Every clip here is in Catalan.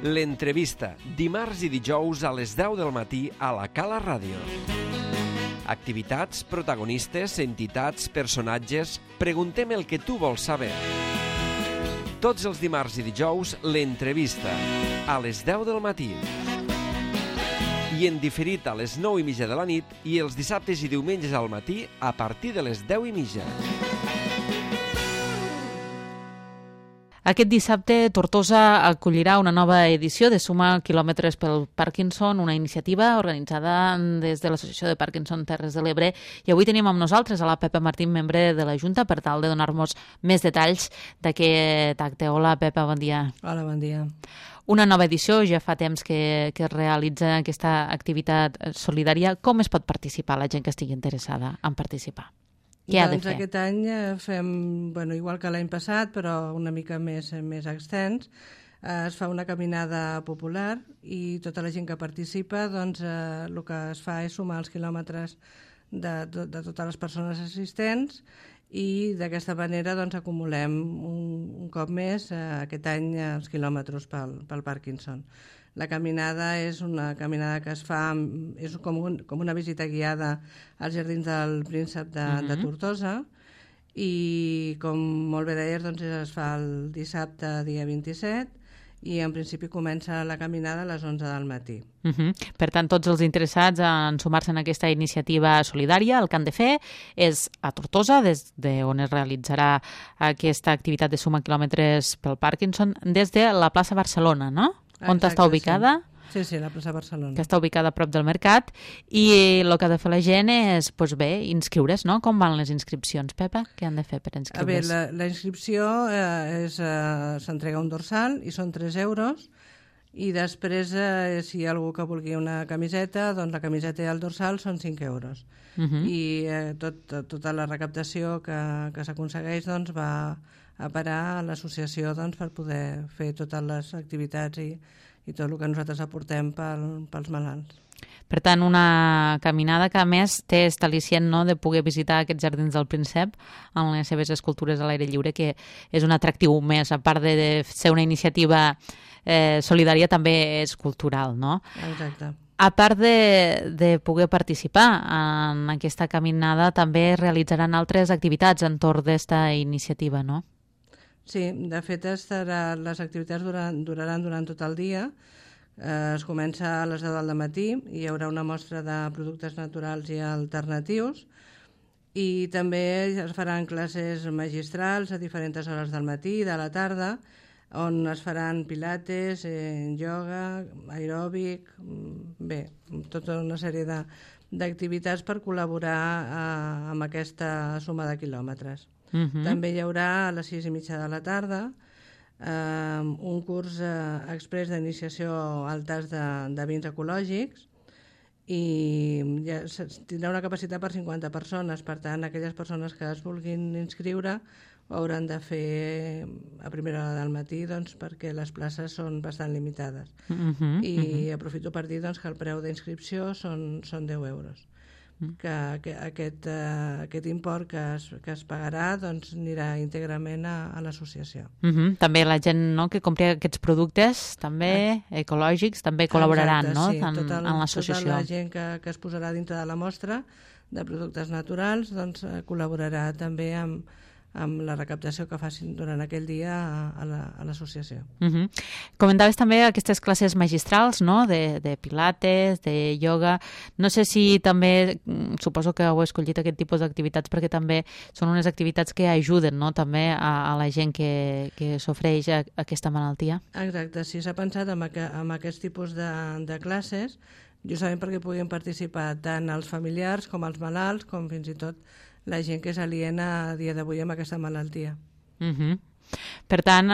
L'entrevista, dimarts i dijous a les 10 del matí a la Cala Ràdio. Activitats, protagonistes, entitats, personatges... Preguntem el que tu vols saber. Tots els dimarts i dijous, l'entrevista, a les 10 del matí. I en diferit a les 9:30 de la nit i els dissabtes i diumenges al matí a partir de les 10:30. Aquest dissabte, Tortosa acollirà una nova edició de Suma Quilòmetres pel Parkinson, una iniciativa organitzada des de l'Associació de Parkinson Terres de l'Ebre. I avui tenim amb nosaltres a la Pepa Martín, membre de la Junta, per tal de donar-nos més detalls d'aquest acte. Hola, Pepa, bon dia. Hola, bon dia. Una nova edició, ja fa temps que es realitza aquesta activitat solidària. Com es pot participar la gent que estigui interessada en participar? Què ha de fer? Aquest any fem, igual que l'any passat, però una mica més extens. Es fa una caminada popular i tota la gent que participa, el que es fa és sumar els quilòmetres de totes les persones assistents i d'aquesta manera acumulem un cop més aquest any els quilòmetres pel Parkinson. La caminada és una caminada que es fa, és com una visita guiada als Jardins del Príncep de Tortosa i, com molt bé deies, es fa el dissabte, dia 27, i en principi comença la caminada a les 11 del matí. Per tant, tots els interessats en sumar-se en aquesta iniciativa solidària, el que han de fer és a Tortosa, des d'on es realitzarà aquesta activitat de suma quilòmetres pel Parkinson, des de la plaça Barcelona, no? On està ubicada? Sí, la plaça Barcelona. Que està ubicada a prop del mercat. I el que ha de fer la gent és, inscriure's, no? Com van les inscripcions, Pepa? Què han de fer per inscriure's? La inscripció s'entrega un dorsal i són 3 euros. I després, si hi ha algú que vulgui una camiseta, doncs la camiseta i el dorsal són 5 euros. I tota la recaptació que s'aconsegueix va a parar a l'associació per poder fer totes les activitats i tot el que nosaltres aportem pels malalts. Per tant, una caminada que, a més, té aquest al·licient, no?, de poder visitar aquests Jardins del Príncep amb les seves escultures a l'aire lliure, que és un atractiu més, a part de ser una iniciativa solidària, també és cultural, no? Exacte. A part de poder participar en aquesta caminada, també realitzaran altres activitats entorn d'esta iniciativa, no? Sí, de fet, les activitats duraran durant tot el dia. Es comença a les 10 del matí i hi haurà una mostra de productes naturals i alternatius i també es faran classes magistrals a diferents hores del matí i de la tarda, on es faran pilates, ioga, aeròbic, tota una sèrie d'activitats per col·laborar amb aquesta suma de quilòmetres. També hi haurà a les 6:30 de la tarda un curs exprés d'iniciació al tast de vins ecològics i tindrà una capacitat per 50 persones. Per tant, aquelles persones que es vulguin inscriure ho hauran de fer a primera hora del matí perquè les places són bastant limitades. I aprofito per dir que el preu d'inscripció són 10 euros. Que aquest import que es pagarà anirà íntegrament a l'associació. També la gent que compri aquests productes també ecològics també col·laboraran en l'associació. Tota la gent que es posarà dintre de la mostra de productes naturals col·laborarà també amb la recaptació que facin durant aquell dia a l'associació. Comentaves també aquestes classes magistrals, no?, de pilates, de ioga. No sé si també, suposo que heu escollit aquest tipus d'activitats perquè també són unes activitats que ajuden, no?, també a la gent que sofreix aquesta malaltia. Exacte, sí, s'ha pensat en aquest tipus de classes, justament perquè puguin participar tant els familiars com els malalts, com fins i tot la gent que és aliena a dia d'avui amb aquesta malaltia. Per tant,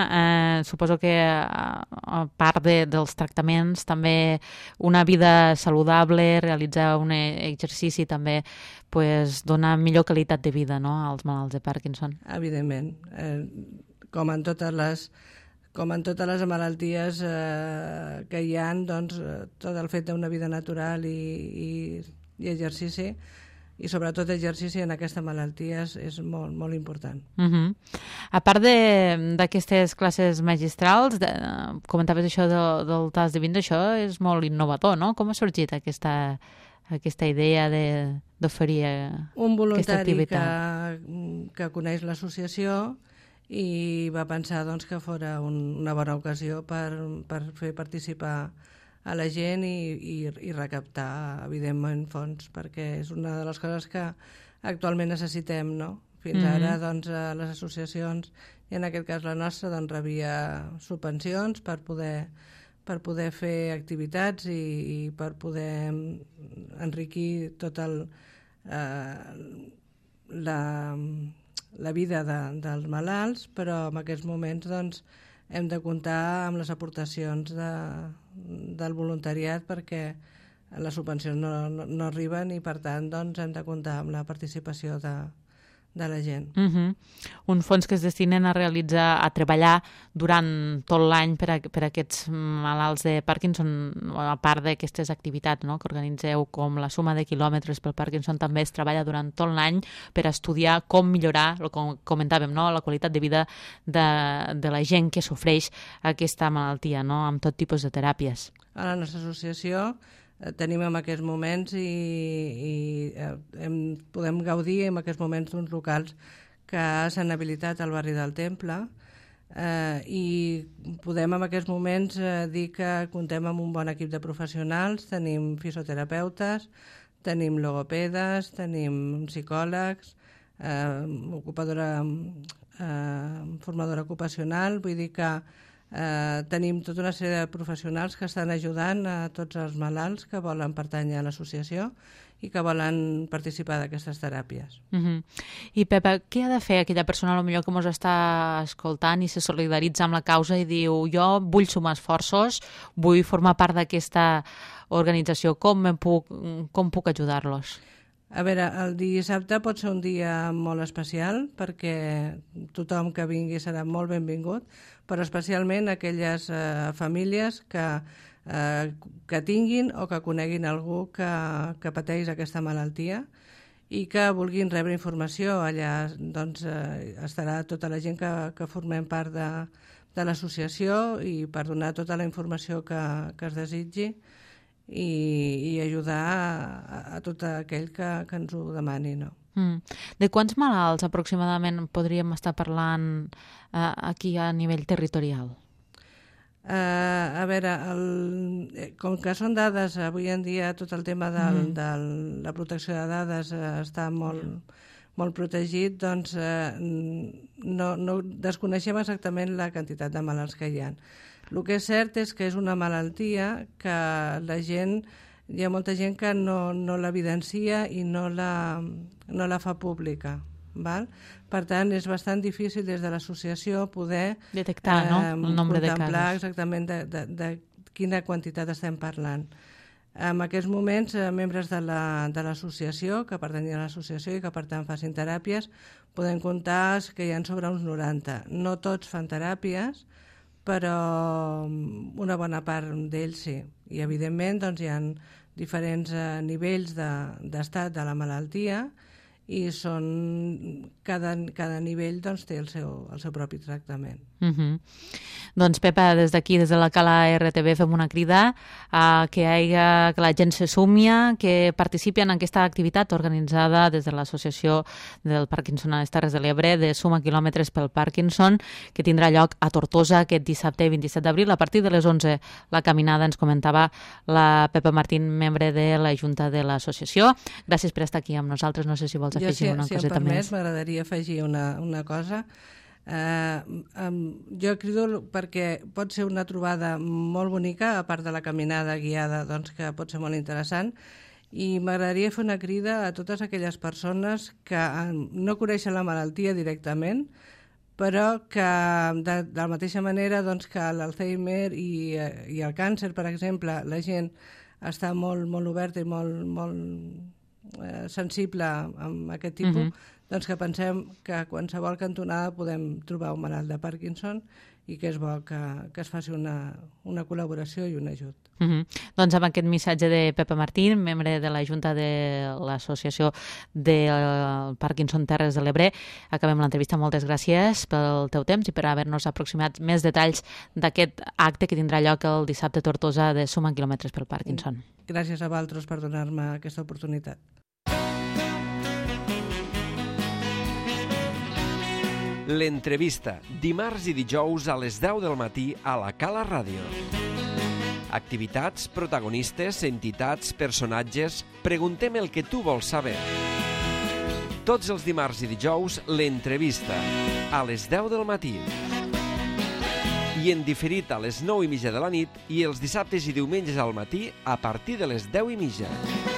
suposo que a part dels tractaments també una vida saludable, realitzar un exercici també dona millor qualitat de vida, no?, als malalts de Parkinson. Evidentment. Com en totes les malalties que hi ha, tot el fet d'una vida natural i exercici i sobretot exercici en aquesta malaltia és molt, molt important. A part d'aquestes classes magistrals, comentaves això del tast de vins, això és molt innovador, no? Com ha sorgit aquesta idea d'oferir aquesta activitat? Un voluntari que coneix l'associació i va pensar doncs, que fora una bona ocasió per fer participar a la gent i recaptar, evidentment, fons, perquè és una de les coses que actualment necessitem, no? Fins ara, doncs, les associacions, i en aquest cas la nostra, doncs, rebia subvencions per poder fer activitats i per poder enriquir tot la vida dels malalts, però en aquests moments doncs, hem de comptar amb les aportacions del voluntariat perquè les subvencions no arriben i per tant doncs, hem de comptar amb la participació de la gent. Un fons que es destinen a treballar durant tot l'any per a aquests malalts de Parkinson, a part d'aquestes activitats, no?, que organitzeu, com la suma de quilòmetres pel Parkinson, també es treballa durant tot l'any per estudiar com millorar, com comentàvem, no?, la qualitat de vida de la gent que sofreix aquesta malaltia, no?, amb tot tipus de teràpies. A la nostra associació tenim en aquests moments i podem gaudir en aquests moments d'uns locals que s'han habilitat al barri del Temple i podem en aquests moments dir que comptem amb un bon equip de professionals, tenim fisioterapeutes, tenim logopedes, tenim psicòlegs, formadora ocupacional, vull dir que tenim tota una sèrie de professionals que estan ajudant a tots els malalts que volen pertànyer a l'associació i que volen participar d'aquestes teràpies. I Pepa, què ha de fer aquella persona potser que ens està escoltant i se solidaritza amb la causa i diu jo vull sumar esforços, vull formar part d'aquesta organització, com puc ajudar-los? A veure, el dissabte pot ser un dia molt especial perquè tothom que vingui serà molt benvingut, però especialment aquelles famílies que tinguin o que coneguin algú que pateix aquesta malaltia i que vulguin rebre informació. Allà doncs, estarà tota la gent que formem part de l'associació i per donar tota la informació que es desitgi i ajudar a tot aquell que ens ho demani, no? De quants malalts aproximadament podríem estar parlant aquí a nivell territorial? A veure, com que són dades, avui en dia tot el tema de la protecció de dades està molt protegit, doncs no desconeixem exactament la quantitat de malalts que hi ha. El que és cert és que és una malaltia que hi ha molta gent que no l'evidencia i no la fa pública. Val? Per tant, és bastant difícil des de l'associació poder detectar el nombre de casos. Contemplar exactament de quina quantitat estem parlant. En aquests moments, membres de l'associació, que pertanyen a l'associació i que per tant facin teràpies, podem comptar que hi ha sobre uns 90. No tots fan teràpies, però una bona part d'ells sí. I evidentment doncs, hi ha diferents nivells d'estat de la malaltia i cada nivell doncs, té el seu propi tractament. Doncs Pepa, des d'aquí, des de la Cala RTV, fem una crida que la gent se sumi, que participi en aquesta activitat organitzada des de l'Associació del Parkinson a les Terres de l'Ebre de Suma Quilòmetres pel Parkinson, que tindrà lloc a Tortosa aquest dissabte 27 d'abril a partir de les 11. La caminada ens comentava la Pepa Martín, membre de la Junta de l'associació. Gràcies per estar aquí amb nosaltres. No sé si vols afegir una coseta més. M'agradaria afegir una cosa. Jo crido perquè pot ser una trobada molt bonica, a part de la caminada guiada, doncs, que pot ser molt interessant, i m'agradaria fer una crida a totes aquelles persones que no coneixen la malaltia directament, però que de la mateixa manera doncs, que l'Alzheimer i el càncer, per exemple, la gent està molt oberta i molt sensible amb aquest tipus, doncs que pensem que a qualsevol cantonada podem trobar un malalt de Parkinson i que és bo que es faci una col·laboració i un ajut. Doncs amb aquest missatge de Pepa Martín, membre de la Junta de l'Associació del Parkinson Terres de l'Ebre, acabem l'entrevista. Moltes gràcies pel teu temps i per haver-nos aproximat més detalls d'aquest acte que tindrà lloc el dissabte a Tortosa de Suma quilòmetres pel Parkinson. Gràcies a vosaltres per donar-me aquesta oportunitat. L'entrevista, dimarts i dijous a les 10 del matí a la Cala Ràdio. Activitats, protagonistes, entitats, personatges... Preguntem el que tu vols saber. Tots els dimarts i dijous, l'entrevista, a les 10 del matí. I en diferit a les 9:30 de la nit i els dissabtes i diumenges al matí a partir de les 10:30.